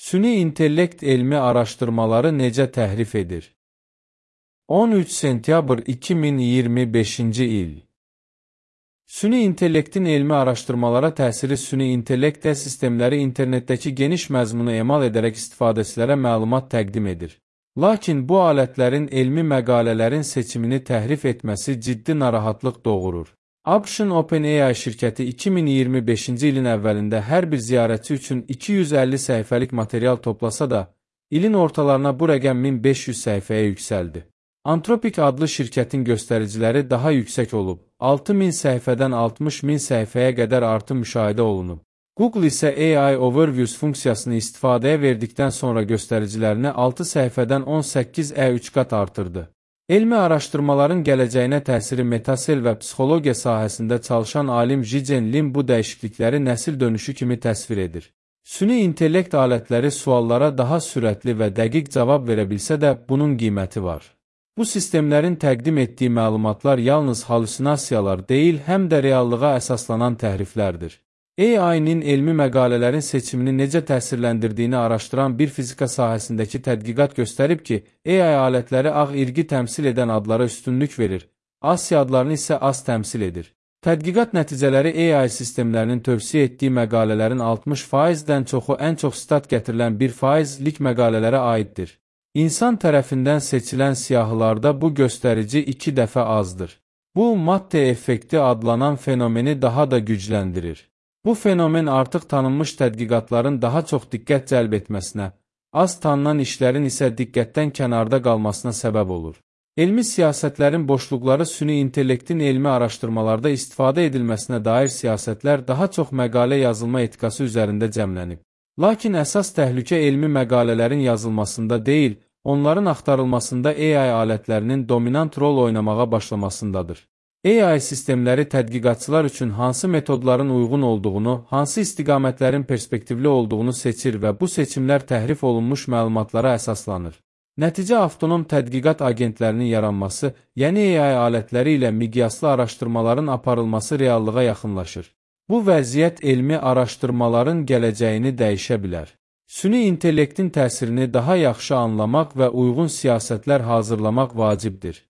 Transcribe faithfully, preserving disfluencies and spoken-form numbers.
Süni intellekt elmi araşdırmaları necə təhrif edir? on üç sentyabr iki min iyirmi beşinci il. Süni intellektin elmi araşdırmalara təsiri süni intellekt sistemləri internetdəki geniş məzmunu emal edərək istifadəçilərə məlumat təqdim edir. Lakin bu alətlərin elmi məqalələrin seçimini təhrif etməsi ciddi narahatlıq doğurur. ABŞ-ın OpenAI şirkəti iki min iyirmi beşinci ilin əvvəlində hər bir ziyarətçi üçün iki yüz əlli səhifəlik material toplasa da, ilin ortalarına bu rəqəm min beş yüz səhifəyə yüksəldi. Anthropic adlı şirkətin göstəriciləri daha yüksək olub, altı min səhifədən altmış min səhifəyə qədər artım müşahidə olunub. Google isə A I Overviews funksiyasını istifadəyə verdikdən sonra göstəricilərini altı səhifədən on səkkiz ə üç qat artırdı. Elmi araşdırmaların gələcəyinə təsiri metasel və psixologiya sahəsində çalışan alim Zhijian Lin bu dəyişiklikləri nəsil dönüşü kimi təsvir edir. Süni intellekt alətləri suallara daha sürətli və dəqiq cavab verə bilsə də bunun qiyməti var. Bu sistemlərin təqdim etdiyi məlumatlar yalnız halüsinasiyalar deyil, həm də reallığa əsaslanan təhriflərdir. A I-nin elmi məqalələrin seçimini necə təsirləndirdiyini araşdıran bir fizika sahəsindəki tədqiqat göstərib ki, A I alətləri ağ irqi təmsil edən adlara üstünlük verir, Asya adlarını isə az təmsil edir. Tədqiqat nəticələri A I sistemlərinin tövsiyə etdiyi məqalələrin altmış faizdən çoxu ən çox sitat gətirilən bir faizlik məqalələrə aiddir. İnsan tərəfindən seçilən siyahılarda bu göstərici iki dəfə azdır. Bu, Matte effekti adlanan fenomeni daha da gücləndirir. Bu fenomen artıq tanınmış tədqiqatların daha çox diqqət cəlb etməsinə, az tanınan işlərin isə diqqətdən kənarda qalmasına səbəb olur. Elmi siyasətlərin boşluqları süni intellektin elmi araşdırmalarda istifadə edilməsinə dair siyasətlər daha çox məqalə yazılma etikası üzərində cəmlənib. Lakin əsas təhlükə elmi məqalələrin yazılmasında deyil, onların axtarılmasında A I alətlərinin dominant rol oynamağa başlamasındadır. A I sistemləri tədqiqatçılar üçün hansı metodların uyğun olduğunu, hansı istiqamətlərin perspektivli olduğunu seçir və bu seçimlər təhrif olunmuş məlumatlara əsaslanır. Nəticə avtonom tədqiqat agentlərinin yaranması, yəni A I alətləri ilə miqyaslı araşdırmaların aparılması reallığa yaxınlaşır. Bu vəziyyət elmi araşdırmaların gələcəyini dəyişə bilər. Süni intellektin təsirini daha yaxşı anlamaq və uyğun siyasətlər hazırlamaq vacibdir.